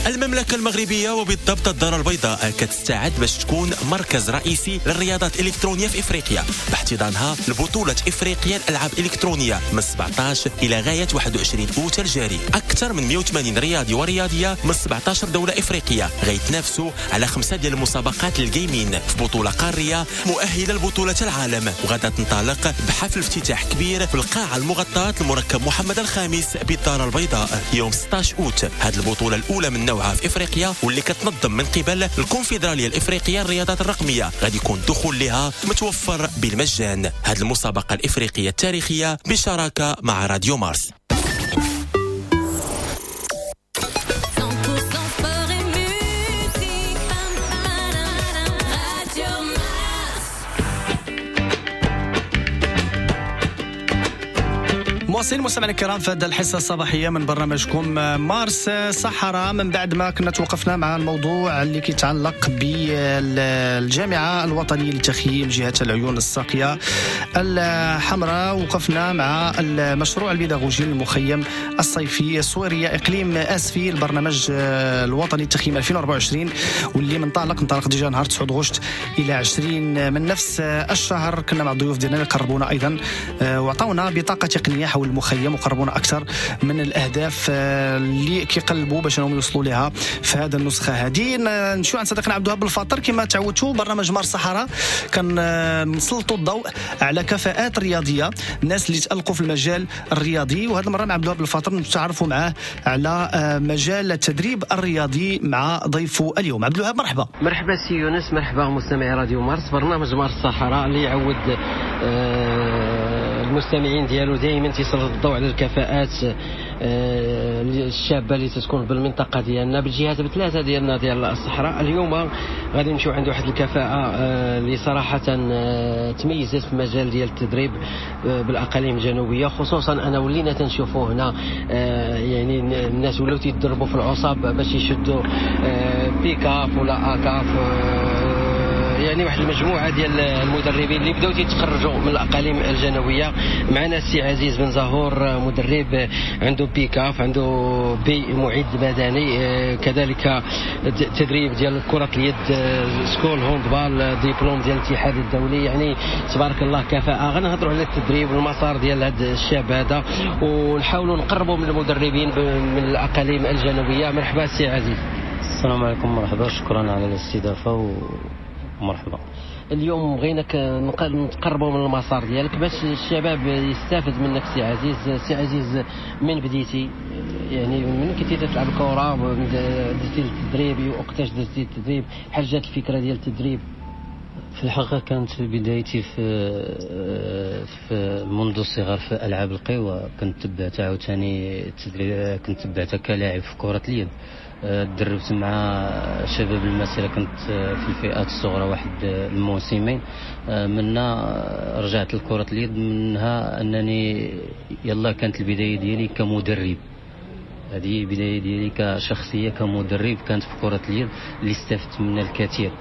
المملكة المغربية وبالضبط الدار البيضاء كتستعد باش تكون مركز رئيسي للرياضات الإلكترونية في إفريقيا، باحتضانها لبطولة إفريقيا الألعاب الإلكترونية من سبعطاش إلى غاية واحد وعشرين أوت الجاري. أكثر من مئة وثمانين رياضي ورياضية من سبعطاش دولة إفريقية غيتنافسوا على خمسة ديال المسابقات ال gaming في بطولة قارية مؤهلة لبطولة العالم، وغادا تنطلق بحفل افتتاح كبير في القاعة المغطاة المركب محمد الخامس بالدار البيضاء يوم ستة عشر أوت. هذه البطولة الأولى من نوعها في افريقيا واللي كتنظم من قبل الكونفدراليه الافريقية للرياضات الرقمية، غادي يكون الدخول لها متوفر بالمجان. هذه المسابقة الافريقية التاريخية بشراكه مع راديو مارس. مواصلين مستمعينا الكرام في هذه الحصة الصباحية من برنامجكم مارس صحراء، من بعد ما كنا توقفنا مع الموضوع اللي كيتعلق بالجامعة الوطنية لتخييم جهة العيون الساقيه الحمراء، وقفنا مع المشروع البيداغوجي المخيم الصيفي الصويرية اقليم اسفي، البرنامج الوطني للتخييم ألفين وأربعة وعشرين، واللي منطلق انطلق déjà نهار تسعة غشت الى عشرين من نفس الشهر. كنا مع الضيوف ديالنا اللي قربونا ايضا وعطاونا بطاقة تقنية حول المخيم وقربونا اكثر من الاهداف اللي كيقلبوا باش انهم يوصلوا لها في هذا النسخة هذه. نمشيو عند صديقنا عبد الوهاب بالفاطر. كما تعودتوا برنامج مارس الصحراء كنسلطوا الضوء على كفاءات رياضية، الناس اللي تالقوا في المجال الرياضي، وهذه المرة مع عبد الوهاب بالفاطر نتعرفوا معاه على مجال التدريب الرياضي مع ضيفه اليوم. عبد الوهاب مرحبا. مرحبا سي يونس، مرحبا مستمعي راديو مارس، برنامج مارس الصحراء اللي يعود آه المستمعين ديالو دائما تيسلط الضوء على الكفاءات الشابة اللي تتكون بالمنطقة ديالنا بالجهات بثلاثة ديالنا ديال الصحراء. اليوم غادي نمشيو عند واحد الكفاءة اللي صراحة تميزت في المجال ديال التدريب بالاقاليم الجنوبية، خصوصا انا ولينا تنشوفوا هنا يعني الناس ولاو تيدربوا في العصاب باش يشدوا B CAF ولا A CAF، يعني واحد المجموعة ديال المدربين اللي بداو تيتخرجوا من الاقاليم الجنوبية. معنا السي عزيز بن زهور، مدرب عنده B CAF، عنده B معد بدني، كذلك تدريب ديال كره اليد، school handball، ديبلوم ديال الاتحاد الدولي، يعني تبارك الله كفاءة. غنهضروا على التدريب والمسار ديال هذا الشاب هذا ونحاولوا نقربوا من المدربين من الاقاليم الجنوبية. مرحبا سي عزيز. السلام عليكم، مرحبا، شكرا على الاستضافة و مرحبا. اليوم بغيناك نتقربوا من المسار ديالك باش الشباب يستافد منك سي عزيز. سي عزيز، من بديتي يعني من كنتي تلعب الكره درتي التدريب، وقتاش درتي التدريب، بحال جات الفكرة ديال التدريب؟ في الحقيقة كانت بدايتي في في منذ الصغر في العاب القوى، كنت تبعت عاوتاني التدريب، كنت تبعتها كلاعب في كره اليد، دربت مع شباب المسيرة، كنت في الفئات الصغرى واحد الموسمين، منها رجعت لكرة اليد، منها أنني يلا كانت البداية ديالي كمدرب. هذه البداية ديالي كشخصية كمدرب كانت في كرة اليد اللي استفدت منها الكثير.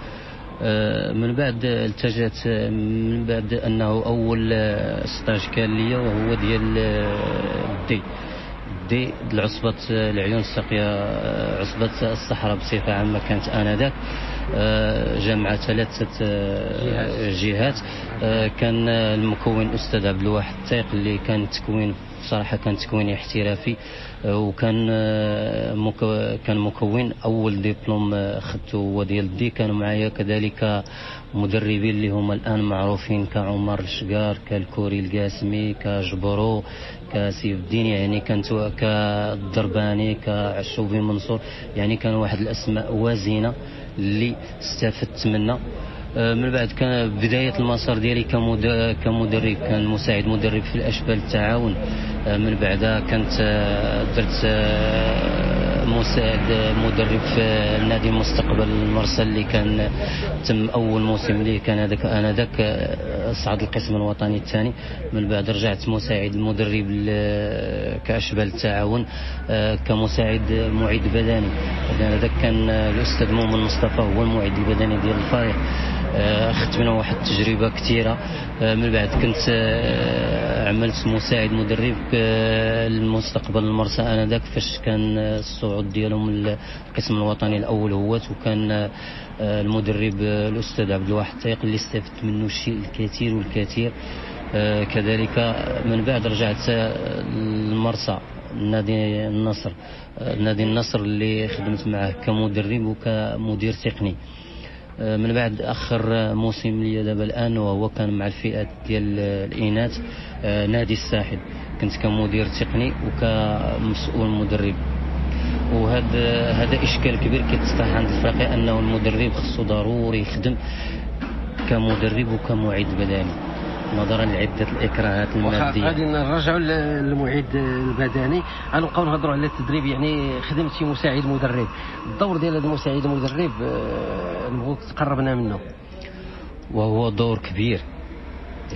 من بعد التجأت، من بعد أنه أول stage كان ليا وهو ديال D دي العصبة العيون الساقية، عصبة الصحراء بصفة عامة كانت آنذاك جامعة ثلاثة جهات. كان المكون الأستاذ عبد الواحد التايق اللي كان تكوين بصراحة كان تكوين احترافي، وكان كان مكون أول دبلوم خدته هو ديال D. كانوا معايا كذلك مدربين اللي هما الآن معروفين كعمر الشقار، كالكوري القاسمي، كجبرو، كسيف الدين، يعني كانت كالدرباني، كعشوبي منصور، يعني كانوا واحد الأسماء وازنة اللي استفدت منها. من بعد كان بداية المسار ديالي كمدرب، كان مساعد مدرب في الأشبال التعاون. من بعدها كنت درت مساعد مدرب في نادي مستقبل المرسى اللي كان تم اول موسم ليه كان هذاك انذاك صعد القسم الوطني الثاني. من بعد رجعت مساعد المدرب كاشبال التعاون كمساعد معد بدني. هذاك كان الاستاذ مؤمن مصطفى هو المعد البدني ديال الفريق. اخذت منه واحد التجربة كثيرة. من بعد كنت عملت مساعد مدرب المستقبل المرسى انذاك فاش كان الصعود ديالهم للقسم الوطني الاول هوات، وكان المدرب الاستاذ عبد الواحد الطيق اللي استفدت منه الشيء الكثير والكثير. كذلك من بعد رجعت المرسى نادي النصر، نادي النصر اللي خدمت معه كمدرب وكمدير تقني. من بعد اخر موسم لي دابا الان وهو كان مع الفئات ديال الاناث نادي الساحل، كنت كمدير تقني وكمسؤول مدرب. وهذا هذا اشكال كبير كيتطرح عند الفريق، انه المدرب خصو ضروري يخدم كمدرب وكمعد بدني نظرا لعدة الاكراهات المادية. غادي نرجعوا للمعد البدني، غنبقاو نهضروا على التدريب. يعني خدمتي مساعد مدرب، الدور ديال هذا المساعد المدرب نبغوك تقربنا منه. وهو دور كبير،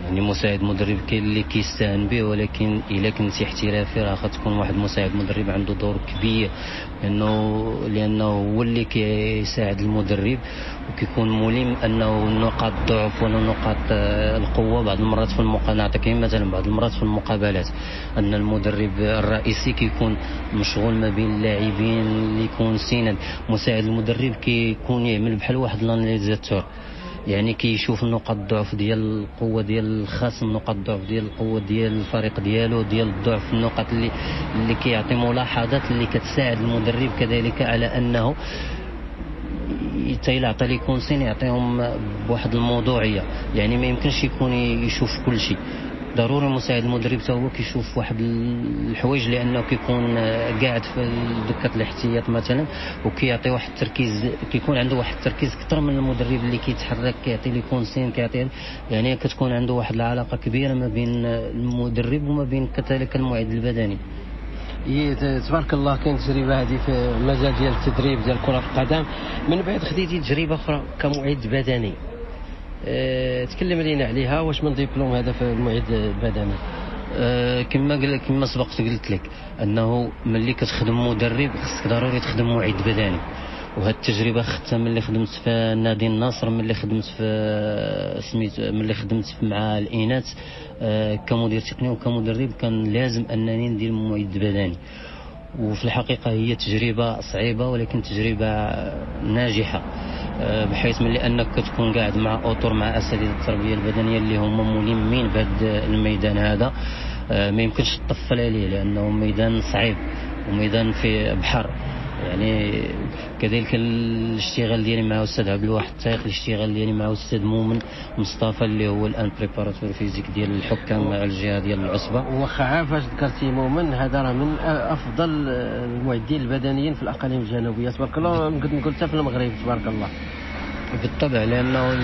يعني مساعد مدرب كاين اللي كيستهان به، ولكن الا كنتي احترافي راه غتكون واحد مساعد مدرب عنده دور كبير، لانه لانه هو اللي كيساعد المدرب وكيكون ملم انه نقاط الضعف ولا نقاط القوة. بعض المرات في المقابلات، نعطيك مثلا بعض المرات في المقابلات ان المدرب الرئيسي كيكون مشغول ما بين اللاعبين اللي يكون سند، مساعد المدرب كيكون يعمل بحال واحد l'analysateur، يعني كيشوف نقاط الضعف ديال القوة ديال الخصم، نقاط الضعف ديال القوة ديال الفريق ديالو، ديال الضعف، النقاط اللي اللي كيعطي ملاحظات اللي كتساعد المدرب كذلك على انه حتى الا عطى les consignes يعطيهم بواحد الموضوعية. يعني ما يمكنش يكون يشوف كل شيء، ضروري مساعد المدرب حتى هو كيشوف واحد الحوايج، لانه كيكون قاعد في دكه الاحتياط مثلا وكيعطي واحد التركيز، كيكون عنده واحد التركيز اكثر من المدرب اللي كيتحرك كيعطي les consignes كيعطي، يعني كتكون عنده واحد العلاقة كبيرة ما بين المدرب وما بين كذلك المعد البدني. تبارك الله كاين تجربه هذه في المجال ديال التدريب ديال كره القدم. من بعد خديتي تجربه اخرى كمعد بدني، أه، تكلم لينا عليها، واش من دبلوم هذا في المعد البدني؟ أه، كما قل كما سبقت قلت لك انه ملي كتخدم مدرب خصك ضروري تخدم معد بدني، وهاد التجربة خدتها ملي خدمت في نادي النصر، ملي خدمت في سميت ملي خدمت مع الاناث أه، كمدير تقني وكمدرب كان لازم انني ندير معد بدني. وفي الحقيقة هي تجربه صعيبة ولكن تجربه ناجحة، بحيث ملي انك كتكون قاعد مع اطر مع اساتذة التربية البدنية اللي هما ملمين بهذا الميدان هذا، ما يمكنش تطفل عليه لانه ميدان صعيب وميدان في بحر. يعني كذلك الاشتغال ديالي مع استاذ عبد الواحد الطيق، الاشتغال ديالي مع استاذ مؤمن مصطفى اللي هو الان préparateur physique ديال الحكام على الجهة ديال العصبة. واخا عافاش ذكرتي مؤمن، هذا راه من افضل المعدين البدنيين في الاقاليم الجنوبية تبارك الله، نقدر نقول حتى في المغرب تبارك الله. بالطبع، لانه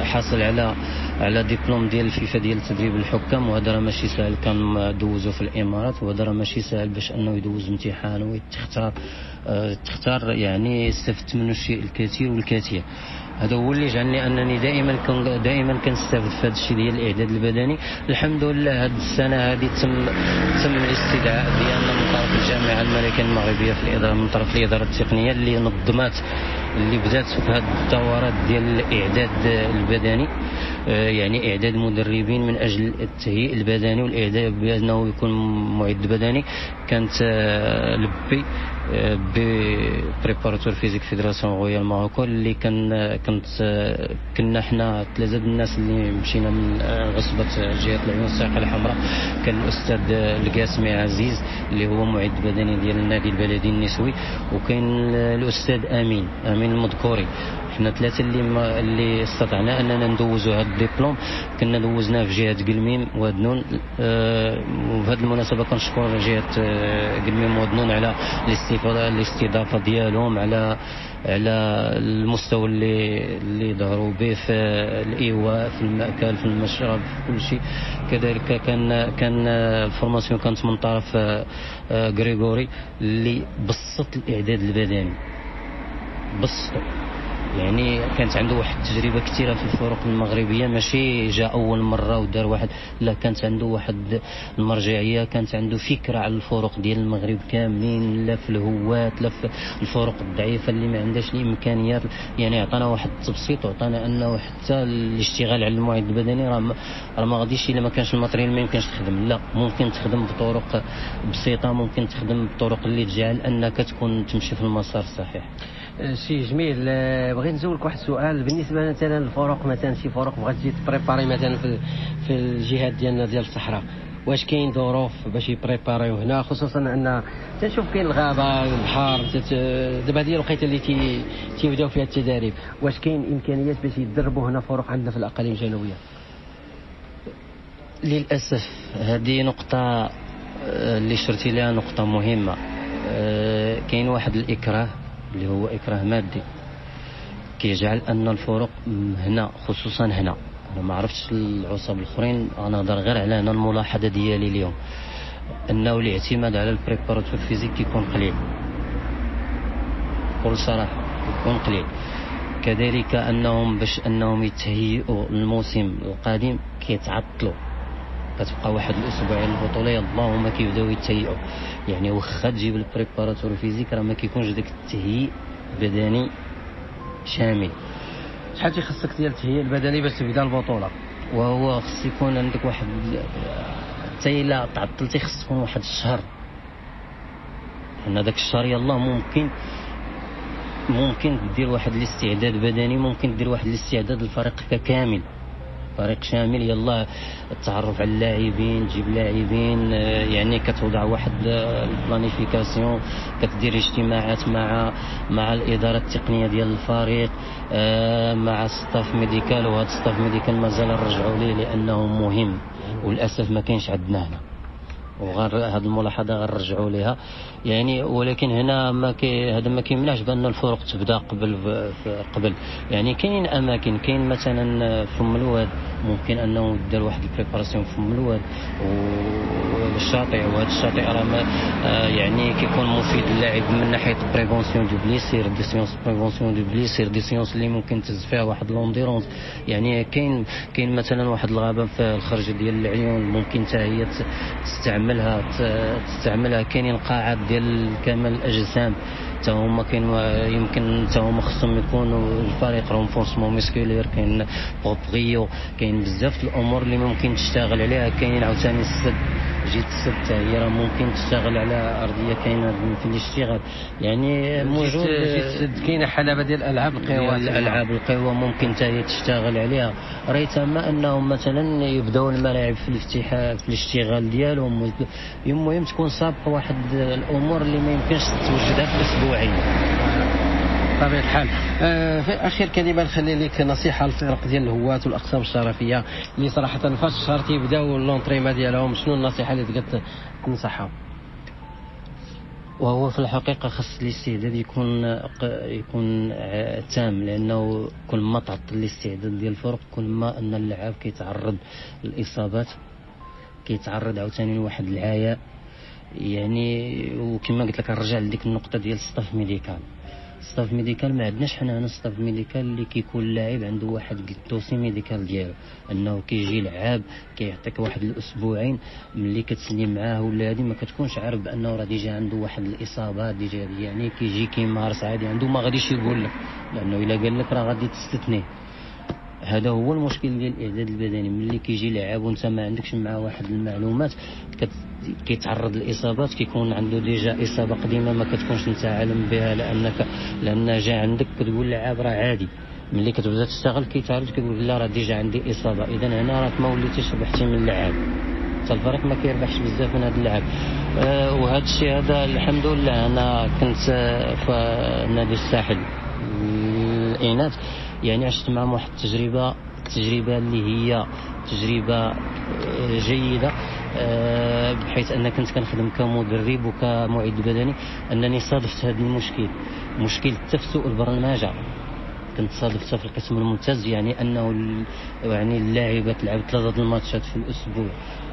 حاصل على على دبلوم ديال الفيفا ديال تدريب الحكام، وهذا راه ماشي سهل، كان دوزو في الامارات، وهذا راه ماشي سهل باش انه يدوز امتحان ويتختار تختار، يعني استفدت منه الشيء الكثير والكثير. هذا هو اللي جعلني انني دائما كن دائما كنستافد في هذا الشيء ديال الاعداد البدني. الحمد لله هذه السنة هذه تم تم الاستدعاء ديالنا من طرف الجامعة الملكية المغربية في الادارة، من طرف الادارة التقنية اللي نظمات اللي بدات في هذه الدورات ديال الاعداد البدني، يعني اعداد مدربين من اجل التهيئ البدني والاعداد بانه يكون معد بدني. كانت ال B B préparateur physique Fédération Royale Maroc اللي كان كنت كنا حنا ثلاثة الناس اللي مشينا من عصبه جهة العيون الساقيه الحمراء، كان الاستاذ القاسمي عزيز اللي هو معد بدني ديال النادي البلدي النسوي، وكاين الاستاذ امين امين المذكوري. حنا ثلاثة اللي ما اللي استطعنا اننا ندوزوا هذا الدبلوم. كنا دوزناه في جهة قلميم وادنون. أه وبهذه المناسبة كنشكر جهة قلميم وادنون على الاستفادة الاستضافة ديالهم، على على المستوى اللي اللي ظهروا به في الايواء، في المأكل، في المشرب، في كل شيء. كذلك كان كان ال formation كانت من طرف غريغوري اللي بسط الاعداد البدني، بسطو يعني كانت عنده واحد التجربة كثيرة في الفرق المغربية، ماشي جاء اول مرة ودار واحد، لا كانت عنده واحد المرجعية، كانت عنده فكرة على الفرق ديال المغرب كاملين، لا في الهواة لا في الفرق الضعيفة اللي ما عندهاش الامكانيات. يعني عطانا واحد التبسيط وعطانا انه حتى الاشتغال على المعد البدني راه راه ما غاديش الا ما كانش ال matériel ما يمكنش تخدم، لا ممكن تخدم بطرق بسيطة، ممكن تخدم بطرق اللي تجعل انك تكون تمشي في المسار الصحيح. شي جميل. بغيت نسولك واحد السؤال بالنسبة مثلا للفرق، مثلا شي فرق بغات تجي ت préparer مثلا في في الجهات ديالنا ديال الصحراء، واش كاين ظروف باش ي préparer يو هنا، خصوصا ان تنشوف كاين الغابة البحر، دابا هذه الوقيته اللي تي تيبداو فيها التداريب، واش كاين امكانيات باش يدربوا هنا فرق عندنا في الاقاليم الجنوبية؟ للاسف هذه نقطة اللي شرتي لها نقطة مهمة. كاين واحد الاكراه اللي هو إكراه مادي كيجعل أن الفرق هنا، خصوصا هنا، أنا ما عرفتش العصب الأخرين، أنا نهضر غير على هنا الملاحظة ديالي اليوم، أنه الاعتماد على ال préparateur physique كيكون قليل، بكل صراحة كيكون قليل. كذلك أنهم باش أنهم يتهيئوا للموسم القادم كيتعطلوا، كتبقى واحد الاسبوعين البطولة اللهم كيبداو يتهيئوا. يعني واخا تجيب ال préparateur physique راه ما كيكونش داك التهيئ بدني شامل. شحال تيخصك ديال التهيئ البدني باش تبدا البطولة؟ وهو خص يكون عندك واحد، حتى الا تعطلتي خص تكون واحد الشهر، لان داك الشهر يلاه ممكن ممكن دير واحد الاستعداد بدني، ممكن دير واحد الاستعداد للفريق ككامل، فريق شامل، يلا التعرف على اللاعبين، تجيب لاعبين، يعني كتوضع واحد ال planification، كتدير اجتماعات مع مع الادارة التقنية ديال الفريق، مع staff médical، وهذا staff médical مازال نرجعوا ليه لانه مهم، وللاسف ما كاينش عندنا هنا، وغير هذه الملاحظة غنرجعوا ليها يعني. ولكن هنا ما كي هذا ما كيمنعش بان الفرق تبدا قبل قبل يعني كاين اماكن، كاين مثلا فم الواد ممكن انه دار واحد ال préparation فم الواد والشاطئ، وهذا الشاطئ راه يعني كيكون مفيد للاعب من ناحية prévention de blessures، des séances prévention de blessures، des séances اللي ممكن تهز فيها واحد l'endurance. يعني كاين كاين مثلا واحد الغابة في الخرج ديال العيون ممكن حتى هي تستعملها تستعملها. كاينين قاعات ديال كمال الاجسام حتى هما كاين، يمكن حتى هما خصهم يكونوا الفريق renforcement musculaire، كاين proprio، كاين بزاف الامور اللي ممكن تشتغل عليها. كاينين عاوتاني السد، جيت السد حتى هي راه ممكن تشتغل على ارضية كاينه في الاشتغال، يعني موجود. جيت السد كاينه حلبة ديال الالعاب القوى، الالعاب القوى ممكن حتى هي تشتغل عليها. ريتما انهم مثلا يبداو الملاعب في الافتتاح في الاشتغال ديالهم، المهم تكون سابقه واحد الامور اللي ما يمكنش توجدها في اسبوعين. بطبيعة الحال. آه في اخر كلمة نخلي لك نصيحة للفرق ديال الهواة والاقسام الشرفيه اللي صراحة فاش الشهر تيبداو l'entraînement ديالهم، شنو النصيحة اللي تقدر تنصحهم؟ وهو في الحقيقة خص الاستعداد يكون يكون تام، لانه كل ما تعطل الاستعداد ديال الفرق كل ما ان اللاعب كيتعرض للاصابات، كيتعرض عاوتاني لواحد العياء يعني. وكما قلت لك نرجع لديك النقطة ديال staff médical. staff médical ما عندناش حنا هنا staff médical اللي كيكون اللاعب عنده واحد ال dossier médical ديالو، انه كيجي لعاب كيعطيك واحد الاسبوعين ملي كتسني معاه ولا هادي ما كتكونش عارف بانه راه déjà عنده واحد الاصابة déjà، يعني كيجي كيمارس عادي عنده، ما غاديش يقول لك، لانه الا قال لك راه غادي تستثنيه. هذا هو المشكل ديال الاعداد البدني، ملي كيجي لاعب وانت ما عندكش معاه واحد المعلومات كيتعرض للاصابات، كيكون عنده déjà اصابه قديمة ما كتكونش انت عالم بها، لانك لان جا عندك كتقول لاعب راه عادي، ملي كتبدا تشتغل كيتعرض كيقول لا راه déjà عندي اصابه. اذا هنا راك ما وليتيش ربحتي من اللعاب، حتى الفريق ما كيربحش بزاف من هذا اللعب. أه وهذا الشيء هذا الحمد لله انا كنت في نادي الساحل الاناث، يعني عشت معهم واحد التجربة التجربة اللي هي تجربه جيدة، بحيث ان كنت كنخدم كمدرب وكمعد بدني، انني صادفت هذا المشكل، مشكل تفسؤ البرمجة. كنت صادفتها في القسم الممتاز، يعني انه يعني اللاعبه تلعب ثلاثة الماتشات في الاسبوع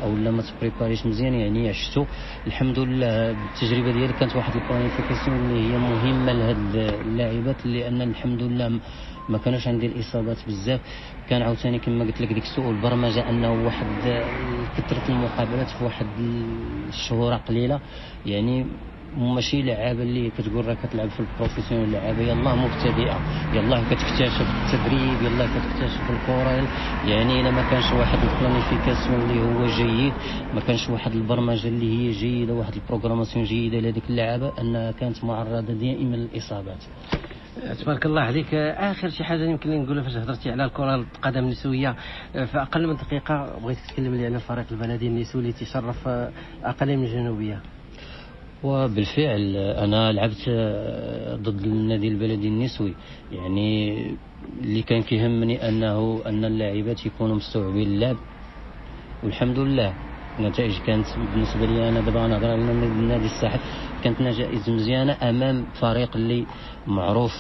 او لا ما تبريباريش مزيان، يعني عشتو. الحمد لله التجربة ديالي كانت واحد ال planification اللي هي مهمة لهاد اللاعبات، لان الحمد لله ما كانوش عندي الاصابات بزاف. كان عاوتاني كما قلت لك ديك سوء البرمجة، انه واحد كثرة المقابلات في واحد الشهور قليله، يعني ماشي لعابه اللي كتقول راه كتلعب في ال professionnel، لعابه يلاه مبتدئة، يلاه كتكتشف التدريب، يلاه كتكتشف الكره. يعني الا ما كانش واحد ال planification اللي هو جيد، ما كانش واحد البرمجة اللي هي جيدة، واحد ال programmation جيدة لهذيك اللعابه، انها كانت معرضه دائما للاصابات. تبارك الله عليك. اخر شي حاجة يمكن لي نقولها فاش هضرتي على الكره القدم النسوية في اقل من دقيقة، بغيت تتكلم لي على الفريق البلدي النسوي اللي تشرف الاقاليم الجنوبية. وبالفعل انا لعبت ضد النادي البلدي النسوي، يعني اللي كان كيهمني انه ان اللاعبات يكونوا مستوعبين اللعب، والحمد لله النتائج كانت بالنسبة لي انا دابا نهضر على النادي الساحل، كانت نتائج مزيانه امام فريق اللي معروف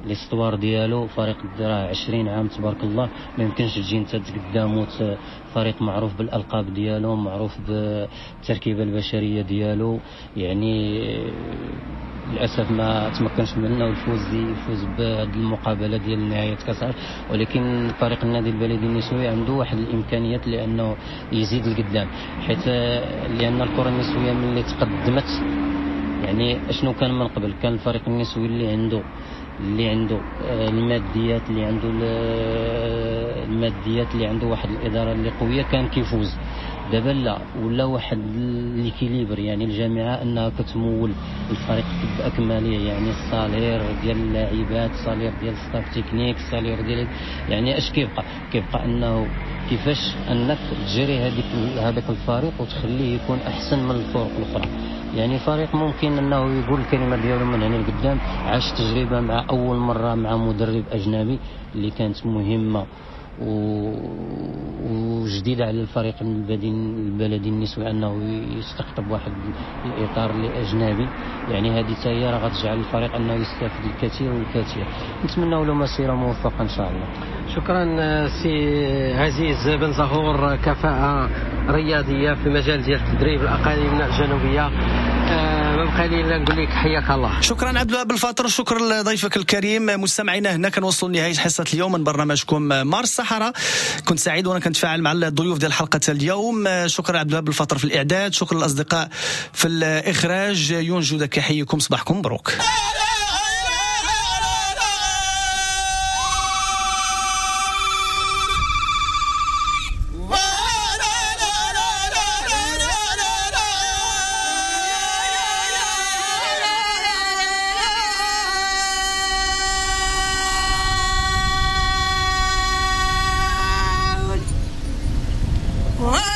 l'histoire ديالو، فريق راه عشرين عام تبارك الله، ما يمكنش تجي انت قدامو فريق معروف بالالقاب ديالو، معروف بالتركيبة البشرية ديالو. يعني للاسف ما تمكنش منه الفوز يفوز بهذه المقابلة ديال نهاية كاس العالم، ولكن فريق النادي البلدي النسوي عنده واحد الامكانيات لانه يزيد لقدام، حيت لان الكره النسوية ملي تقدمت، يعني اشنو كان من قبل، كان الفريق النسوي اللي عنده اللي عنده الماديات، اللي عنده الماديات اللي عنده واحد الادارة اللي قوية كان كيفوز. دابا لا، ولا واحد l'équilibre، يعني الجامعة انها كتمول الفريق باكمله، يعني ال salaire ديال اللاعبات، ال salaire ديال staff technique، ال salaire ديال، يعني اش كيبقى كيبقى انه كيفاش انك تجري هذيك هذاك الفريق وتخليه يكون احسن من الفرق الاخرى. يعني فريق ممكن انه يقول الكلمة ديالو من هنا لقدام، عاش تجربه مع اول مرة مع مدرب اجنبي اللي كانت مهمة وجديدة على الفريق البلدي البلدي النسوي انه يستقطب واحد الاطار اللي اجنبي، يعني هذه حتى هي راه غتجعل الفريق انه يستافد الكثير والكثير. نتمنى له مسيره موفقة ان شاء الله. شكرا سي عزيز بن زهور، كفاءة رياضية في مجال ديال التدريب الاقاليم الجنوبية. ما بقى لي الا نقول لك حياك الله. شكرا عبد الوهاب الفاطر، شكرا لضيفك الكريم. مستمعينا هنا كنوصلوا لنهاية حصة اليوم من برنامجكم مارس الصحراء. كنت سعيد وانا كنتفاعل مع الضيوف ديال حلقة اليوم. شكرا عبد الوهاب الفاطر في الاعداد، شكرا للاصدقاء في الاخراج. يونجو داك يحييكم، صباحكم مبروك. What?